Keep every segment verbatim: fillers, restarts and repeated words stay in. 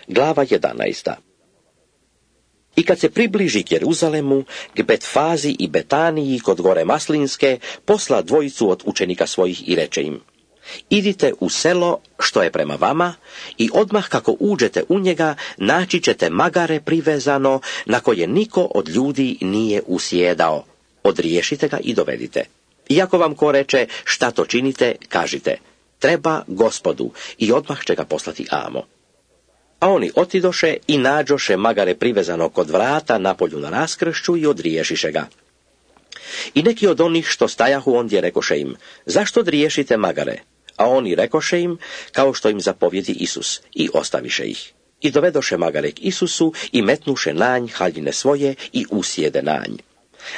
Glava jedanaesta. I kad se približi k Jeruzalemu, k Betfazi i Betaniji kod gore Maslinske, posla dvojicu od učenika svojih i reče im: idite u selo što je prema vama i odmah kako uđete u njega naći ćete magare privezano na koje niko od ljudi nije usjedao. Odriješite ga i dovedite. Iako vam ko reče šta to činite, kažite: treba Gospodu, i odmah će ga poslati amo. A oni otidoše i nađoše magare privezano kod vrata napolju na raskršću i odriješiše ga. I neki od onih što stajahu ondje rekoše im: zašto odriješite magare? A oni rekoše im kao što im zapovjedi Isus, i ostaviše ih. I dovedoše magare k Isusu i metnuše nanj haljine svoje i usjede nanj.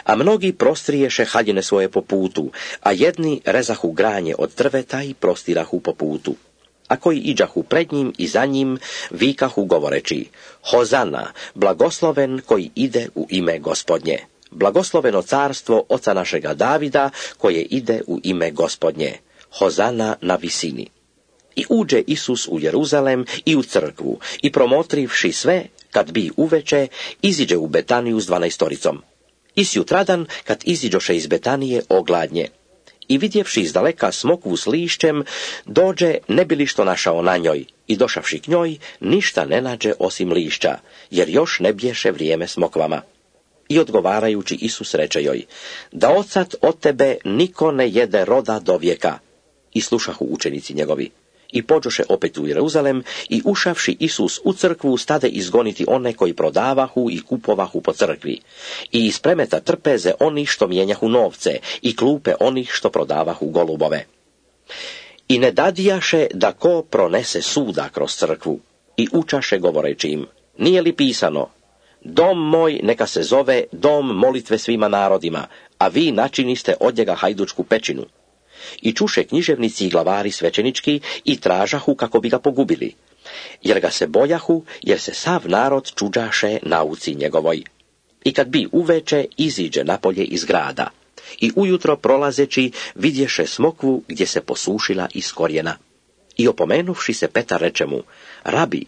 A mnogi prostriješe haljine svoje po putu, a jedni rezahu granje od drveta i prostirahu po putu. A koji iđahu pred njim i za njim, vikahu govoreći: Hozana, blagosloven koji ide u ime Gospodnje. Blagosloveno carstvo oca našega Davida koje ide u ime Gospodnje. Hozana na visini. I uđe Isus u Jeruzalem i u crkvu, i promotrivši sve, kad bi uveče, iziđe u Betaniju s dvanaestoricom. I sjutradan, kad iziđoše iz Betanije, ogladnje. I vidjevši izdaleka smokvu s lišćem, dođe ne bi li što našao na njoj, i došavši k njoj, ništa ne nađe osim lišća, jer još ne bješe vrijeme smokvama. I odgovarajući Isus reče joj: da odsad od tebe niko ne jede roda do vijeka. I slušahu učenici njegovi. I pođoše opet u Jeruzalem, i ušavši Isus u crkvu, stade izgoniti one koji prodavahu i kupovahu po crkvi, i iz premeta trpeze onih što mijenjahu novce, i klupe onih što prodavahu golubove. I ne dadijaše da ko pronese suda kroz crkvu, i učaše govoreći im: nije li pisano: dom moj neka se zove dom molitve svima narodima, a vi načiniste od njega hajdučku pećinu. I čuše književnici i glavari svećenički i tražahu kako bi ga pogubili, jer ga se bojahu, jer se sav narod čuđaše nauci njegovoj. I kad bi uveče, iziđe napolje iz grada, i ujutro prolazeći vidješe smokvu gdje se posušila iz korijena. I opomenuvši se Petar reče mu: rabi,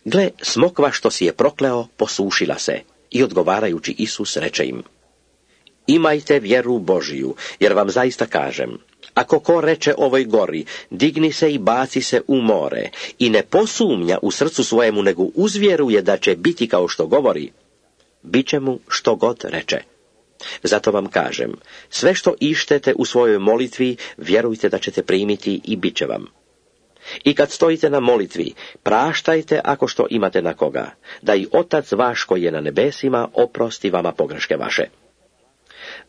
gle, smokva što si je prokleo posušila se. I odgovarajući Isus reče im: imajte vjeru Božiju, jer vam zaista kažem, ako ko reče ovoj gori: digni se i baci se u more, i ne posumnja u srcu svojemu, nego uzvjeruje da će biti kao što govori, bit će mu što god reče. Zato vam kažem, sve što ištete u svojoj molitvi, vjerujte da ćete primiti i bit će vam. I kad stojite na molitvi, praštajte ako što imate na koga, da i Otac vaš koji je na nebesima oprosti vama pogreške vaše.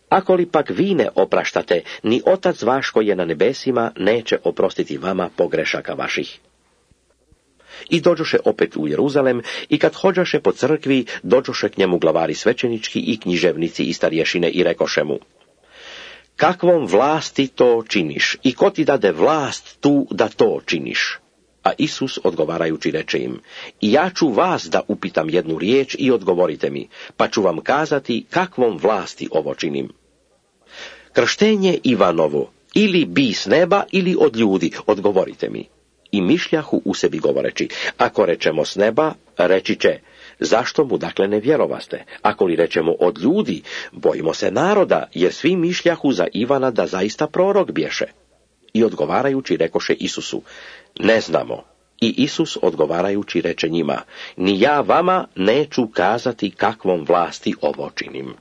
Ako li pak vi ne opraštate, ni Otac vaš koji je na nebesima neće oprostiti vama pogrešaka vaših. I dođoše opet u Jeruzalem, i kad hođaše po crkvi, dođoše k njemu glavari svećenički i književnici i starješine i rekoše mu: kakvom vlasti to činiš, i ko ti dade vlast tu da to činiš? A Isus odgovarajući reče im: i ja ću vas da upitam jednu riječ i odgovorite mi, pa ću vam kazati kakvom vlasti ovo činim. Krštenje Ivanovo, ili bi s neba, ili od ljudi, odgovorite mi. I mišljahu u sebi govoreći: ako rečemo s neba, reći će: zašto mu dakle ne vjerovaste? Ako li rečemo od ljudi, bojimo se naroda, jer svi mišljahu za Ivana da zaista prorok bješe. I odgovarajući rekoše Isusu: ne znamo. I Isus odgovarajući reče njima: ni ja vama neću kazati kakvom vlasti ovo činim.